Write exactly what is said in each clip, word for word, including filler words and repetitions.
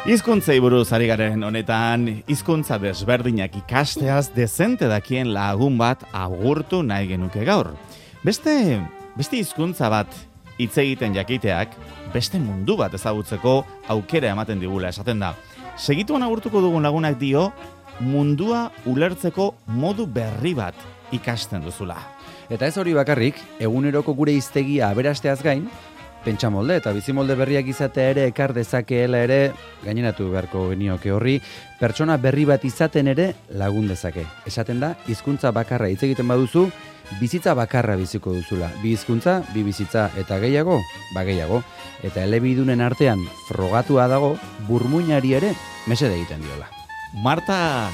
Hizkuntzei buruz ari garen honetan, hizkuntza desberdinak ikasteaz dezente dakien lagun bat agurtu nahi genuke gaur. Beste, beste hizkuntza bat hitz egiten jakiteak, beste mundu bat ezagutzeko aukera ematen digula esaten da. Segituan agurtuko dugun lagunak dio, mundua ulertzeko modu berri bat ikasten duzula. Eta ez hori bakarrik, eguneroko gure hiztegia aberasteaz gain, pentsamolde eta bizimolde berriak izatea ere ekar dezakeela ere, gaineratu beharko genioke horri, pertsona berri bat izaten ere lagun dezake. Esaten da, hizkuntza bakarra hitz egiten baduzu, bizitza bakarra biziko duzula. Bi hizkuntza, bi bizitza eta gehiago, ba gehiago. Eta elebidunen artean frogatua dago, burmuinari ere mesede egiten diola. Marta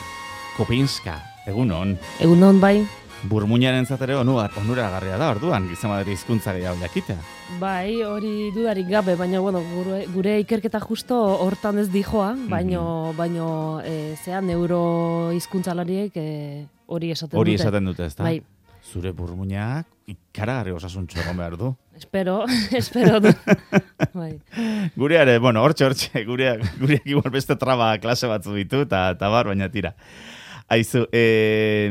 Kopinska, egunon. Egunon bai. Burmuinaren zatero onuragarria da, orduan, gizema dira hizkuntza gehiago jakitea. Bai, hori dudarik gabe, baina bueno, gure, gure ikerketa justo hortan ez dijoa, baino, mm-hmm. baino e, zea neuro hizkuntzalariek e, hori esaten hori dute. Hori esaten dute, ezta? Bai. Zure burmuinak ikaragarri osasuntxo egon behar du. Espero, espero du. Bai. Gureare, bueno, hortxe, hortxe, gureak, gureak igual beste traba klase batzu ditu, eta bar, baina tira. Aizu, eh,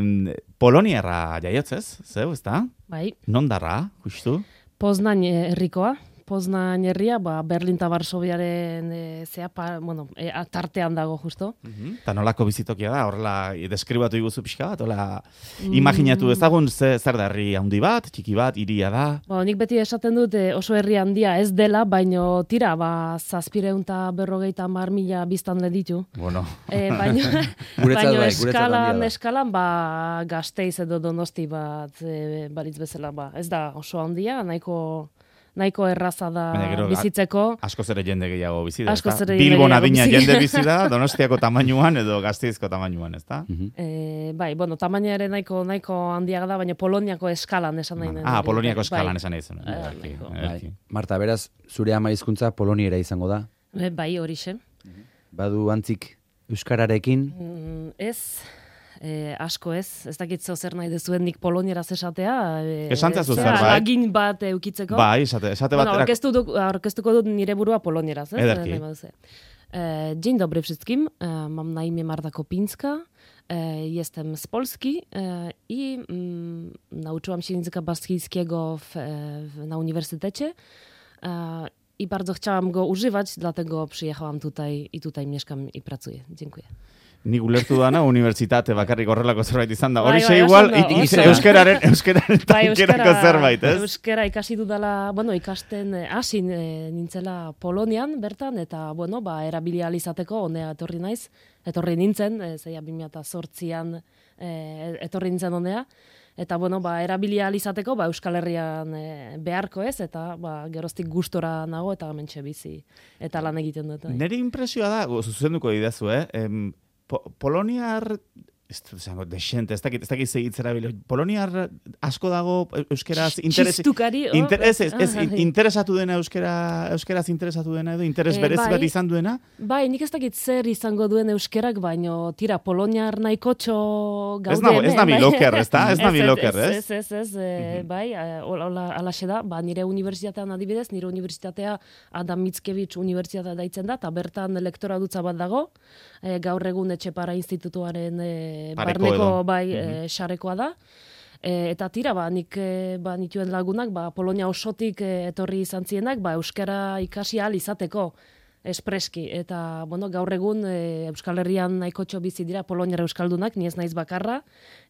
Poloniarra jaiotzez, zeu, ezta? Bai. Nondarra, justu? Poznań herrikoa. Poznań herria, ba, Berlin eta Varsoviaren e, zea, pa, bueno, e, tartean dago justo. Uh-huh. Ta nolako bizitokia da, horrela deskribatu iguzu pixka bat, hola mm. imaginatu ezagun ze, zer da herri handi bat, txiki bat, hiria da. Ba, nik beti esaten dut e, oso herri handia ez dela, baino tira, ba, zazpireun eta berrogeita hamar mila biztanle ditu. Bueno. E, baino baino bai, eskalan, eskalan, ba, Gasteiz edo Donosti bat e, baritz bezala, ba, ez da oso handia, nahiko... nahiko erraza da gero, bizitzeko. Askoz ere jende gehiago bizi da, ezta? Bilbon adina jende bizi da, Donostiako tamainuan edo Gasteizko tamainuan, ezta? Uh-huh. E, bai, bueno, tamaina ere nahiko nahiko handiaga da, baina Poloniako eskalan esan nahi. Ah, Poloniako eskalan bai. Esan nahi zen. Bai. Bai. Marta, beraz, zure ama hizkuntza poloniera izango da? E, bai, horixe. Uh-huh. Badu antzik euskararekin? Mm, ez... E, asko ez, ez dakit zeo zer nahi dezuen nik polonieraz esatea. E, Esantzazu zer, bai? Lagin bat eukitzeko. Bai, esate, esate bat. Bueno, orkestu du, orkestuko dut nire burua polonieraz. Ez? Ederki. E, dzień dobry wszystkim, e, mam na imię Marta Kopinska, e, jestem z Polski e, i mm, nauczyłam się języka baskijskiego w, w, na uniwersytecie e, i bardzo chciałam go używać, dlatego przyjechałam tutaj i tutaj mieszkam i pracuję. Dziękuję. Nik ulertu dana unibertsitate bakarrik horrelako zerbait izan da. Bai, Horixe bai, igual, oso, it, it, euskararen, euskararen bai, tankerako zerbait, ez? Euskara ikasi dudala, bueno, ikasten hasi e, nintzela Polonian bertan, eta, bueno, ba, erabili ahal izateko, honea etorri naiz, etorri nintzen, e, zeia bi mila zortzian e, etorri nintzen honea, eta, bueno, ba, erabili ahal izateko, ba, Euskal Herrian e, beharko ez, eta, ba, geroztik gustora nago, eta mentxe bizi, eta lan egiten dut. Nire impresioa da, zuzenduko didazu, eh? Em, Po, Poloniar, ez da, desente, ez dakit, ez dakit segitzera bilo, Poloniar asko dago euskeraz interes, Txistukari, oh, interes, ez, ez, ah, interesatu dena euskera, euskeraz interesatu dena edo, interes e, berezi bai, bat izan duena? Bai, nik ez dakit zer izango duen euskerak, baino tira, Poloniar nahikotxo gaude. Ez nago, ez nabi loker, ez da? Ez nabi loker, ez? Ez, ez, ez, e, bai, hola, alaxe da, ba, nire unibertsitatean adibidez, nire unibertsitatea Adam Mickiewicz unibertsitatea daitzen da, eta bertan lektora dutza bat dago, e, gaur egun Etxepara institutuaren e, barneko bai mm-hmm. e, xarekoa da. E, eta tira, ba, nik e, ba, nituen lagunak, ba, Polonia osotik e, etorri izan zienak, ba, euskara ikasi ahal izateko espreski. Eta, bueno, gaur egun e, Euskal Herrian nahikotxo bizi dira Poloniara euskaldunak, ni ez naiz bakarra,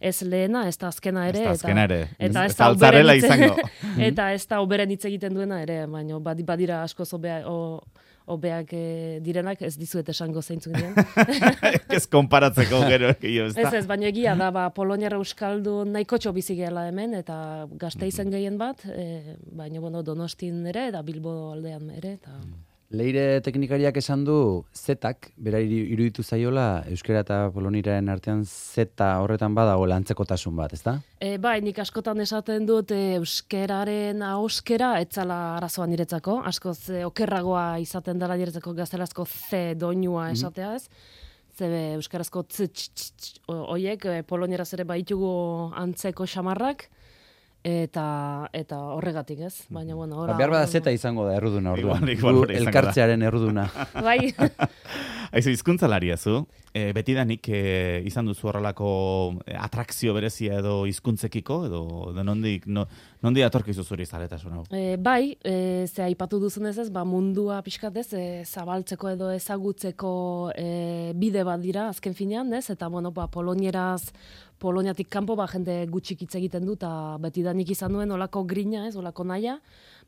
ez lehena, ez da azkena ere. Ez da azkena ere, eta ez da altzarela izango. Eta ez da oberen hitz egiten duena ere, baina badira askoz obea, o, obeak e, direnak, ez dizuet esango zeintzuk diren. Ez konparatzeko gero. Ez, ez ez, baina egia da, ba, Poloniara euskaldu nahikotxo bizi gehala hemen, eta Gasteizen gehien bat, e, baina bueno, Donostin ere, eta Bilbo aldean ere. Eta... Leire teknikariak esan du zetak, bera iruditu zaiola, euskera eta poloniraren artean zeta horretan badago lantzekotasun bat, ezta? E, bai, nik askotan esaten dut e, euskeraren ahoskera etzala arazoa niretzako, askoz e, okerragoa izaten dela niretzako gaztelazko ze doinua esatea ez, zebe euskarazko tz, tx, tx, tx, oiek, e, polonieraz ere baitugu antzeko xamarrak, eta eta horregatik, ez? Baina bueno, ora. Ba, behar bada zeta izango da erruduna orduan. Igual, igual, elkartzearen erruduna. Bai. Aizu, hizkuntzalaria zu, e, betidanik e, izan duzu horrelako atrakzio berezia edo hizkuntzekiko edo, edo nondik, no, nondik atorkizu zuri zaletasun hau? E, bai, e, ze aipatu duzunez ez, ba, mundua pixkat ez, e, zabaltzeko edo ezagutzeko e, bide bat dira, azken finean, ez, eta bueno, ba, polonieraz, Poloniatik kanpo ba, jende gutxik hitz egiten du, eta betidanik izan duen olako grina, ez, olako naia,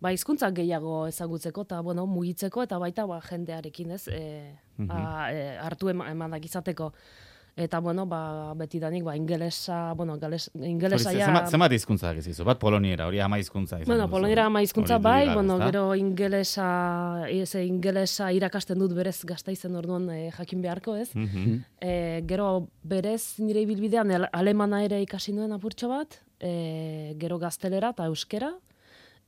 ba, hizkuntzak gehiago ezagutzeko, eta bueno, mugitzeko, eta baita ba, jendearekin, ez, e, Mhm. a, e, hartu ema- emanak izateko. Eta, bueno, ba, betidanik, ba, ingelesa, bueno, gales, ingelesa Hori, ja... Zenbat, zenbat hizkuntza dakizu? Bat poloniera, hori ama hizkuntza izan Bueno, duzu. poloniera ama hizkuntza Hori bai, dira, bueno, ezta? gero ingelesa, eze, ingelesa irakasten dut berez Gasteizen orduan e, jakin beharko, ez? Mhm. E, gero berez nire ibilbidean el- alemana ere ikasi nuen apurtxo bat, e, gero gaztelera eta euskera,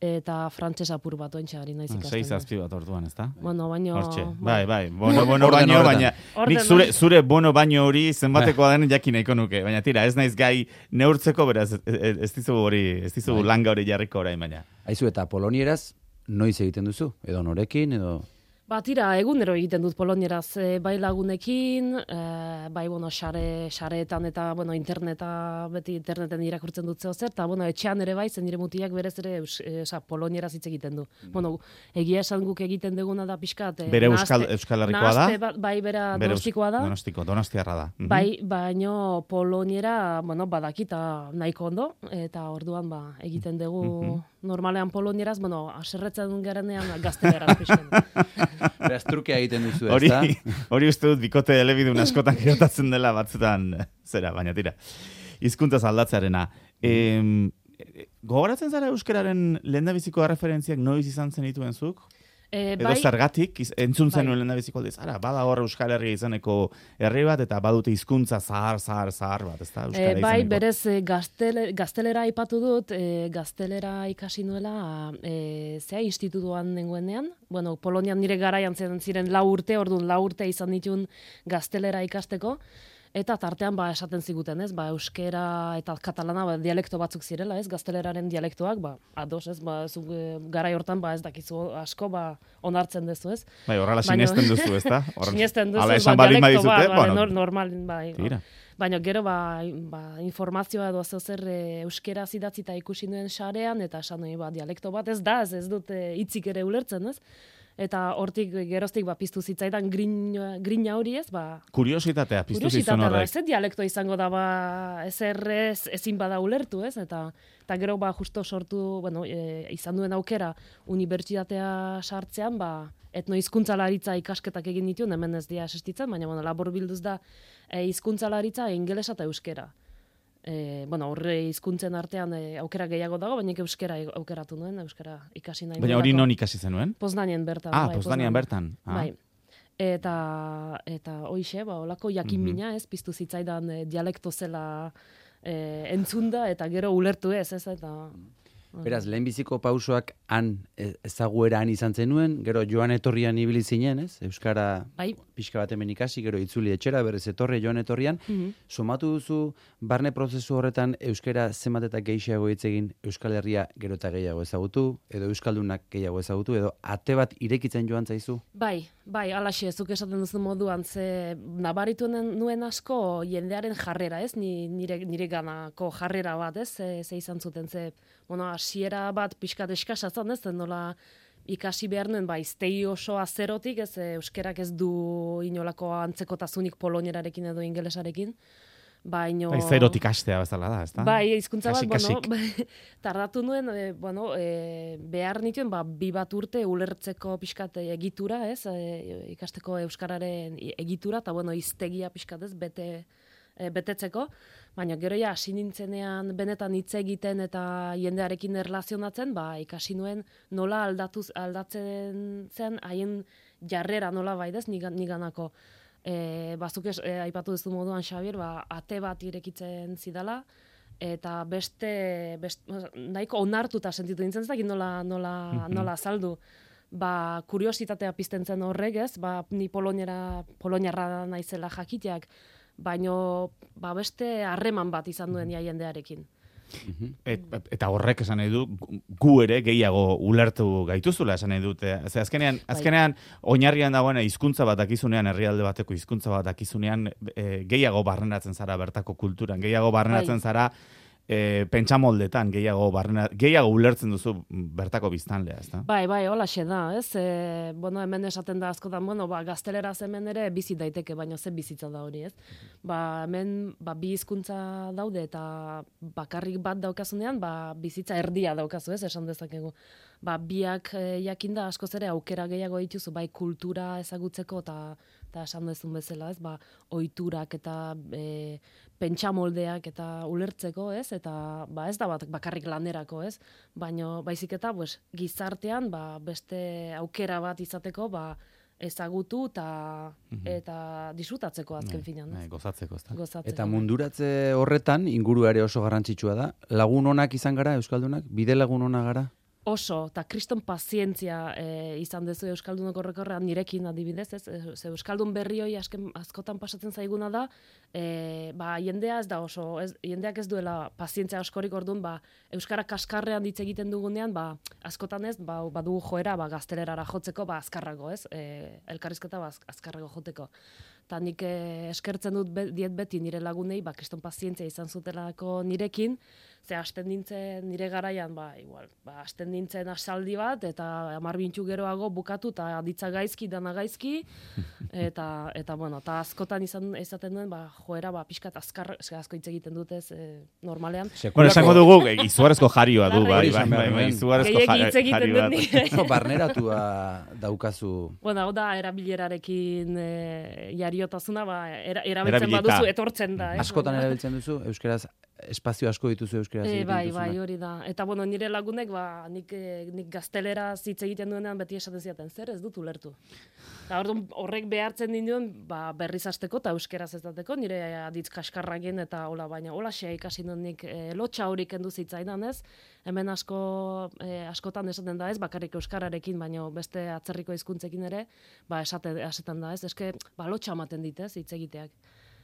eta frantses apur bat ointxe ari naiz Ah, ikasten. Sei zazpi bat orduan, ezta? Bueno, baino... Hortxe, bai, bai, bono, bono Orden baino, horretan. baina Orden nik zure, horretan. zure bono baino hori zenbatekoa den jakin nahiko nuke, baina tira, ez naiz gai neurtzeko, beraz, ez, ez ez dizugu hori, ez dizugu Bai. langa hori jarriko orain, baina. Aizu, eta polonieraz, noiz egiten duzu? Edo norekin, edo... Ba, tira, egunero egiten dut polonieraz, e, bai lagunekin, e, bai, bueno, sare, sareetan eta, bueno, interneta, beti interneten irakurtzen dut zeo zer, eta, bueno, etxean ere bai, zen nire mutiak berez ere, eus, e, oza, polonieraz hitz egiten du. Bueno, egia esan guk egiten duguna da pixkat, e, Bere euskal, nahaste- euskal herrikoa da? nahaste bat- bai, bera Bere eus- donostikoa da. Donostiko, donostiarra da. Mhm. Bai, baino poloniera, bueno, badakita nahiko ondo, eta orduan ba, egiten dugu Mhm. normalean polonieraz, bueno, aserretzen garenean gazteleraz pixken. Beraz, trukea egiten duzu, Hori, ezta? hori uste dut bikote elebidun askotan gertatzen dela batzutan, zera, baina tira. Hizkuntzaz aldatzearena. Em, gogoratzen zara euskararen lehendabiziko referentziak noiz izan zen dituen zuk? E, Edo zergatik, iz- entzun Bai. zenuen lehendabiziko aldiz, ara, bada hor Euskal Herria izaneko herri bat, eta badute hizkuntza zahar, zahar, zahar bat, ezta? Euskara E, bai, izeneko. berez e, gaztele, gaztelera aipatu dut, e, gaztelera ikasi nuela e, zea institutuan nengoenean. Bueno, Polonian nire garaian zen ziren lau urte, orduan lau urte izan ditun gaztelera ikasteko. Eta tartean ba esaten ziguten, ez? Ba euskera eta katalana ba, dialekto batzuk zirela, ez? Gazteleraren dialektoak, ba ados, ez? Ba zu e, garai hortan ba ez dakizu asko ba onartzen duzu, ez? Bai, horrela Baina- sinesten duzu, ezta? Horrela- Sinesten duzu, Hala esan ba, baldin dialekto badizute, bat, bueno, nor, normal, bai. tira. Baina gero ba, ba, informazioa edo zeo zer e, euskeraz idatzita ikusi nuen sarean, eta esan nuen ba, dialekto bat ez da, ez, ez dut e, hitzik ere ulertzen, ez? Eta hortik geroztik ba, piztu zitzaidan grina, grina hori ez, ba, Kuriositatea, piztu zizun kuriositatea da, horrek. ez dialekto izango da, ba, ezer ez, ezin bada ulertu, ez? Eta, eta gero ba, justo sortu, bueno, e, izan duen aukera unibertsitatea sartzean, ba, etnohizkuntzalaritza ikasketak egin dituen, hemen ez dira existitzen, baina bueno, labur bilduz da e, hizkuntzalaritza ingelesa eta euskera. E, bueno, horre hizkuntzen artean e, aukera gehiago dago, baina euskera aukeratu nuen, euskara ikasi nahi Baina hori nuelako. non ikasi zenuen? Poznanien bertan. Ah, bai, Poznanian bertan. Ah. Bai. Eta, eta hoixe, ba, olako jakin Mhm. mina, ez, piztu zitzaidan e, dialekto zela e, entzunda, eta gero ulertu ez, ez, eta... Beraz, lehenbiziko pausoak han e- ezagueran izan zenuen, gero joan etorrian ibili zinen, ez? Euskara Bai. pixka bat hemen ikasi, gero itzuli etxera, berez etorri joan etorrian. Mhm. Somatu duzu, barne prozesu horretan euskara zenbat eta gehiago hitz egin, Euskal Herria gero eta gehiago ezagutu, edo euskaldunak gehiago ezagutu, edo ate bat irekitzen joan zaizu? Bai, bai, alaxe, zuk esaten duzu moduan, ze nabaritu nen- nuen asko jendearen jarrera, ez? Ni, nire, nire ganako jarrera bat, ez? Ze, ze izan zuten, ze, bueno, hasiera bat pixkat eskasa zan, ez? Zen nola ikasi behar nuen, ba, iztegi oso azerotik, ez? e, Euskerak ez du inolako antzekotasunik polonierarekin edo ingelesarekin. Baino... Bai, zerotik hastea bezala da, ezta? Bai, hizkuntza bat, Kasik, bueno, kasik. tardatu nuen, e, bueno, e, behar nituen, ba, bi bat urte ulertzeko pixkat egitura, ez, e, ikasteko euskararen egitura, eta, bueno, hiztegia pixkat, ez, bete, e, betetzeko, baina gero ja, hasi nintzenean benetan hitz egiten eta jendearekin erlazionatzen, ba, ikasi nuen nola aldatuz, aldatzen zen haien jarrera nola bai, ez, nigan, niganako. E, bazuk ez, e, aipatu duzu moduan, Xabier, ba, ate bat irekitzen zidala, eta beste, best, nahiko onartuta sentitu nintzen, ez dakit nola, nola, Mhm. nola azaldu. Ba, kuriositatea pizten zen horrek, ez? Ba, ni poloniera, poloniarra naizela jakiteak, baino ba, beste harreman bat izan duen ja jendearekin. Et, eta horrek esan nahi du, gu ere gehiago ulertu gaituzula esan nahi dute. Ze azkenean, azkenean oinarrian dagoen hizkuntza bat dakizunean, herrialde bateko hizkuntza bat dakizunean, e, gehiago barrenatzen zara bertako kulturan, gehiago barrenatzen bai. zara E, pentsamoldetan gehiago barrena, gehiago ulertzen duzu bertako biztanlea, ezta? Bai, bai, holaxe da, ez? E, bueno, hemen esaten da askotan, bueno, ba, gazteleraz hemen ere bizi daiteke, baina ze bizitza da hori, ez? Ba, hemen ba, bi hizkuntza daude eta bakarrik bat daukazunean, ba, bizitza erdia daukazu, ez? Esan dezakegu. Ba, biak e, jakinda askoz ere aukera gehiago dituzu, bai kultura ezagutzeko eta eta esan dezun bezala, ez? Ba, ohiturak eta e, pentsamoldeak eta ulertzeko, ez? Eta ba ez da bat bakarrik lanerako, ez? Baino baizik eta pues gizartean ba beste aukera bat izateko, ba ezagutu eta mm-hmm. eta disfrutatzeko azken finean, ez? Bai, gozatzeko, ezta? Gozatzeko. Eta munduratze horretan ingurua ere oso garrantzitsua da. Lagun onak izan gara euskaldunak, bide lagun ona gara. Oso, eta kriston pazientzia e, izan dezu euskaldunok horrekorrean nirekin adibidez, ez? Ze euskaldun berri hori asken, askotan pasatzen zaiguna da, e, ba, jendea ez da oso, ez, jendeak ez duela pazientzia askorik orduan, ba, euskara kaskarrean hitz egiten dugunean, ba, askotan ez, ba, badugu joera, ba, gaztelerara jotzeko, ba, azkarrago, ez? E, elkarrizketa, ba, azkarrago joteko. Eta nik eh, eskertzen dut be, diet beti nire lagunei, ba, kriston pazientzia izan zutelako nirekin, ze hasten nintzen nire garaian, ba, igual, ba, hasten nintzen asaldi bat, eta hamar bintxu geroago bukatu, eta aditza gaizki, dana gaizki, eta, eta bueno, eta askotan izan izaten duen, ba, joera, ba, pixkat azkar, asko hitz egiten dutez, e, normalean. Bueno, esango dugu, izugarrezko jarioa du, bai, bai, bai, bai, izugarezko jari bat. Oso barneratua daukazu. Bueno, hau da, erabilerarekin e, jariotasuna, ba, era, erabiltzen baduzu, etortzen da. Eh? Askotan erabiltzen duzu, euskeraz, espazio asko dituzu euskeraz e, egiten bai, duzuna. Bai, hori da. Eta bueno, nire lagunek, ba, nik, nik gazteleraz hitz egiten duenean beti esaten ziaten, zer ez dut ulertu. Eta orduan horrek behartzen ninduen, ba, berriz hasteko eta euskeraz ez dateko, nire aditz kaskarragin eta hola, baina hola xea ikasi dut nik e, lotxa hori kendu zitzaidan, ez? Hemen asko, e, askotan esaten da, ez? Bakarrik euskararekin, baina beste atzerriko hizkuntzekin ere, ba, esaten, esaten da, ez? Eske, ba, lotxa ematen dit, ez? Hitz egiteak.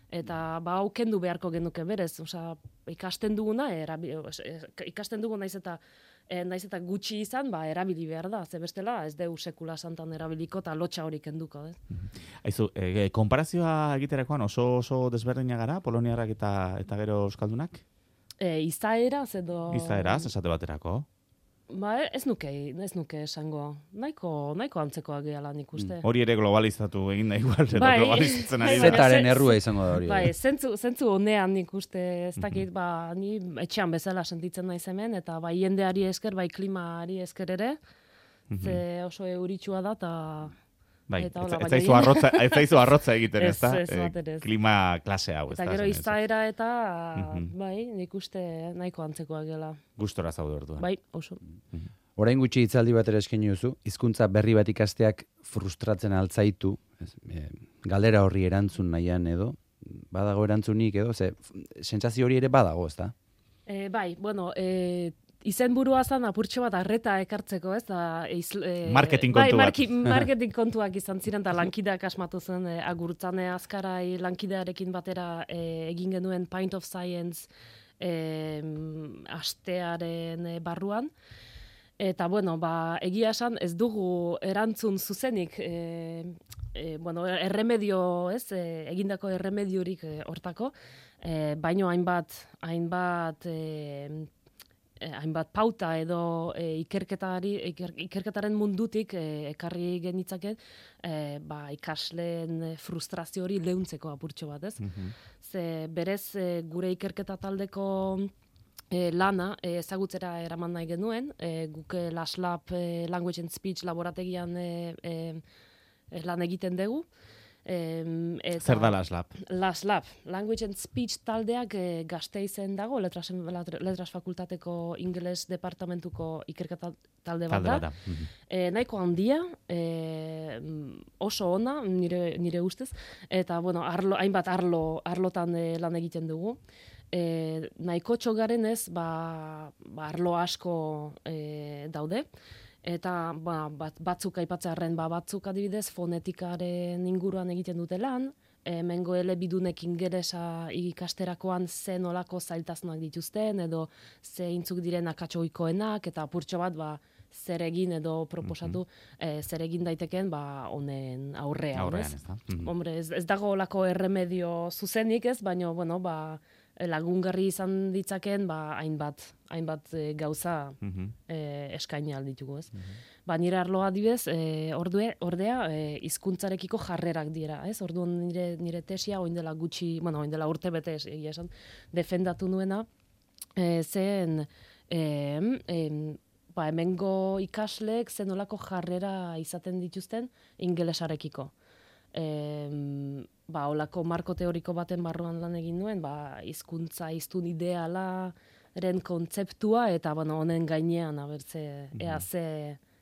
Eta ba hau kendu beharko genuke berez, osea ikasten duguna erabi, ikasten dugu naiz eta e, naiz eta gutxi izan, ba erabili behar da, ze bestela ez deu sekula santan erabiliko ta lotxa hori kenduko, ez? Aizu, e, konparazioa egiterakoan oso oso desberdina gara poloniarrak eta eta gero euskaldunak? E, izaeraz edo Izaeraz, esate baterako. Ba, ez nuke, ez nuke esango. Nahiko, nahiko antzekoak gehala nik uste. Mm. Hori ere globalizatu egin da igual, edo bai, globalizatzen ari da. Zetaren errua izango da hori. Bai, zentzu, zentzu honean nik uste, ez dakit, ba, ni etxean bezala sentitzen naiz hemen, eta bai jendeari esker, bai klimari esker ere, ze oso euritsua da, eta... Bai, eta hola, ez zaizu arrotza, ez zaizu arrotza egiten, ez da? E, klima klase hau, ez da? Eta gero izaera eta, bai, nik uste nahiko antzekoak gela. Gustora zaude orduan. Bai, oso. Orain gutxi hitzaldi bat ere eskaini duzu, hizkuntza berri bat ikasteak frustratzen altzaitu, ez, e, galdera horri erantzun nahian edo, badago erantzunik edo, ze, sentsazio hori ere badago, ez da? E, bai, bueno, e, izenburua zan apurtxo bat arreta ekartzeko, ez da... E, marketing kontu bai, bat. Marketing kontuak izan ziren, eta lankideak asmatu zen, e, agurtzane azkarai lankidearekin batera e, egin genuen Pint of Science e, astearen e, barruan. Eta, bueno, ba, egia esan ez dugu erantzun zuzenik, e, e, bueno, erremedio, ez, e, egindako erremediorik e, hortako, e, baino hainbat, hainbat... E, hainbat pauta edo e, ikerketari, iker, ikerketaren mundutik e, ekarri genitzake e, ba, ikasleen frustrazio hori leuntzeko apurtxo bat, ez? Mm-hmm. Ze berez e, gure ikerketa taldeko e, lana e, ezagutzera eraman nahi genuen, e, guk LASLab e, Language and Speech laborategian e, e, lan egiten dugu. Em, eta Zer da LASLab? LASLab, Language and Speech taldeak e, Gasteizen dago, letras, letras fakultateko ingeles departamentuko ikerketa talde bat da. Talde bat da. E, nahiko handia, e, oso ona, nire, nire ustez, eta bueno, arlo, hainbat arlo, arlotan e, lan egiten dugu. E, nahiko txogaren ez, ba, ba, arlo asko e, daude. Eta ba, bat, batzuk aipatzearren, ba, batzuk adibidez fonetikaren inguruan egiten dute lan, hemengo elebidunek ingelesa ikasterakoan ze nolako zailtasunak dituzten, edo ze intzuk diren akatsoikoenak, eta apurtxo bat, ba, zer egin edo proposatu, mm-hmm. eh, zer egin daiteken, ba, honen aurrean, Aurrean, ez? ez da. Mm-hmm. Hombre, ez, ez dago olako erremedio zuzenik, ez? Baina, bueno, ba, lagungarri izan ditzaken, ba, hainbat, hainbat e, gauza Mm-hmm. e, eskaini alditugu, ez? Mm-hmm. Ba, nire arloa adibez, e, ordue, ordea, e, hizkuntzarekiko jarrerak dira, ez? Orduan nire, nire tesia, oin dela gutxi, bueno, oin dela urte bete, egia esan, defendatu nuena, e, zen, e, e, ba, hemengo ikasleek zenolako jarrera izaten dituzten ingelesarekiko. E, ba, olako marko teoriko baten barruan lan egin nuen, ba, hizkuntza hiztun idealaren kontzeptua, eta bueno, honen gainean, abertze, mm-hmm. ea ze,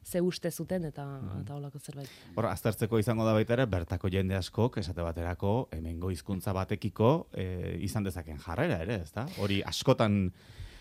ze uste zuten, eta, mm-hmm. eta olako zerbait. Hor, aztertzeko izango da baita ere, bertako jende askok, esate baterako, hemengo hizkuntza batekiko e, izan dezaken jarrera ere, ezta? Hori askotan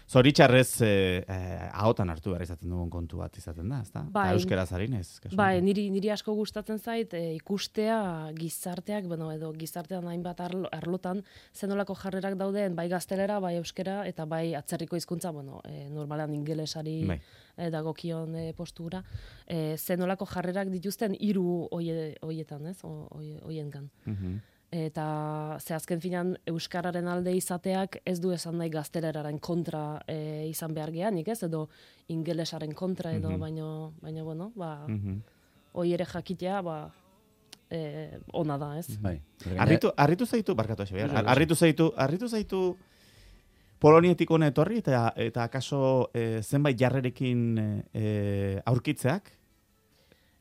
zoritxarrez eh, eh, ahotan hartu behar izaten dugun kontu bat izaten da, ezta? Bai, eta euskaraz harinez. Bai, niri, niri asko gustatzen zait e, ikustea gizarteak, bueno, edo gizartean hainbat arlo, arlotan, zenolako jarrerak dauden, bai gaztelera, bai euskera, eta bai atzerriko hizkuntza, bueno, e, normalean ingelesari bai. e, dagokion e, postura, e, zenolako jarrerak dituzten hiru hoie, hoietan, ez? Hoiengan. Mm-hmm. Eta ze azken finan euskararen alde izateak ez du esan nahi gazteleraren kontra e, izan behar geanik, ez? Edo ingelesaren kontra edo, mm-hmm. baino, baino, bueno, ba, mm-hmm. hoi ere jakitea, ba, e, ona da, ez? Bai. Arritu, arritu zaitu, barkatu Xabier, arritu zaitu, arritu zaitu Polonietik hona etorri, eta, eta akaso e, zenbait jarrerekin e, aurkitzeak?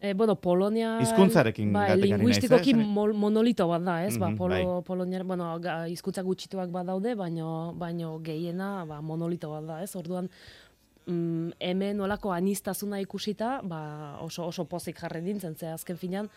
E, bueno, Polonia... Hizkuntzarekin bai, gatekari naiz, linguistikoki eh? monolito bat da, ez? Mm-hmm, ba, Polo, bai. Polonia, bueno, hizkuntza gutxituak badaude, baino, baino gehiena ba, monolito bat da, ez? Orduan, mm, hemen olako aniztasuna ikusita, ba, oso, oso pozik jarri dintzen, ze azken finan,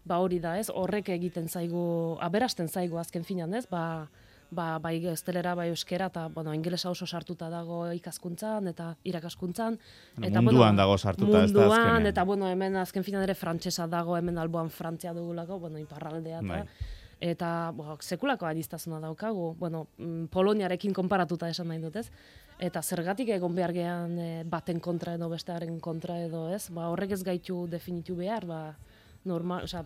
ba hori da, ez? Horrek egiten zaigu, aberasten zaigu azken finan, ez? Ba, Ba, bai gaztelera, bai euskera, eta bueno, ingelesa oso sartuta dago ikaskuntzan eta irakaskuntzan. Eta, munduan bueno, dago sartuta, ez da azkenean. Munduan, eta bueno, hemen azken finan ere frantsesa dago, hemen alboan Frantzia dugulako, bueno, iparraldea eta... Bai. Eta bo, sekulako aniztasuna daukagu, bueno, mm, Poloniarekin konparatuta esan nahi dut, ez? Eta zergatik egon behar gehan e, baten kontra edo bestearen kontra edo, ez? Ba, horrek ez gaitu definitu behar, ba, normal, osea,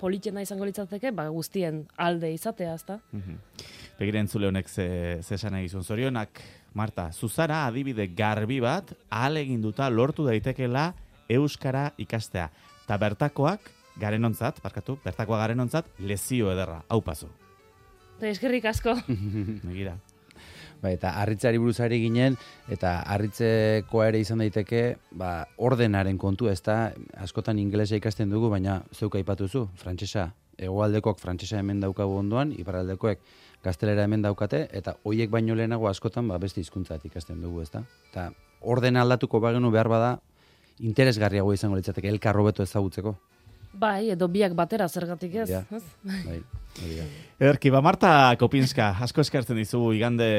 politena izango litzateke, ba, guztien alde izatea, ezta? Mm-hmm. Begira entzule honek ze, ze esan egizun zorionak, Marta, zuzara adibide garbi bat, ahaleginduta lortu daitekela euskara ikastea. Ta bertakoak, garenontzat, barkatu, bertakoa garenontzat, lezio ederra, hau pasu. Eskerrik asko. Begira. Ba, eta harritzari buruz ari ginen, eta harritzekoa ere izan daiteke, ba, ordenaren kontu, ez da, askotan ingelesa ikasten dugu, baina zeuk aipatuzu, frantsesa, hegoaldekoak frantsesa hemen daukagu ondoan, iparraldekoek gaztelera hemen daukate, eta hoiek baino lehenago askotan ba, beste hizkuntzat ikasten dugu, ez da? Eta ordena aldatuko bagenu behar bada, interesgarriago izango litzateke, elkar hobeto ezagutzeko. Bai, edo biak batera zergatik ez. Ja, ez? Bai, Ederki, ba, Marta Kopinska, asko eskertzen dizu igande,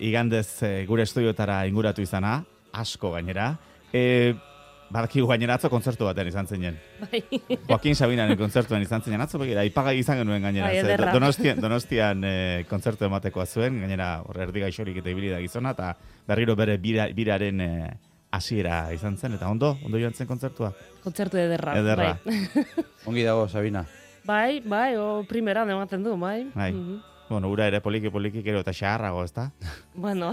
igandez e, gure estudioetara inguratu izana, asko gainera. E, Badakigu gainera atzo kontzertu batean izan zinen. Bai. Joaquin Sabinaren kontzertuan izan zinen. Atzo begira, ipagai izan genuen gainera. Bai, Ze, donostian donostian e, kontzertu ematekoa zuen, gainera horre erdi gaixorik eta ibili da gizona, eta berriro bere bira, biraren e, hasiera izan zen, eta ondo, ondo joan zen kontzertua. Kontzertu ederra. Ederra. Bai. Ongi dago, Sabina. Bai, bai, o primeran ematen du, bai. Bai. Mm-hmm. Bueno, ura ere poliki-poliki gero eta xaharrago, ezta? Bueno.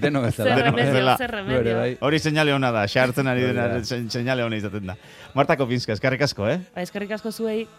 Deno bezala. Zer remedio, bezala. zer remedio. Bai. Hori seinale ona da, xahartzen ari dena seinale ona izaten da. Marta Kopinska, eskerrik asko, eh? Ba, eskerrik asko zuei.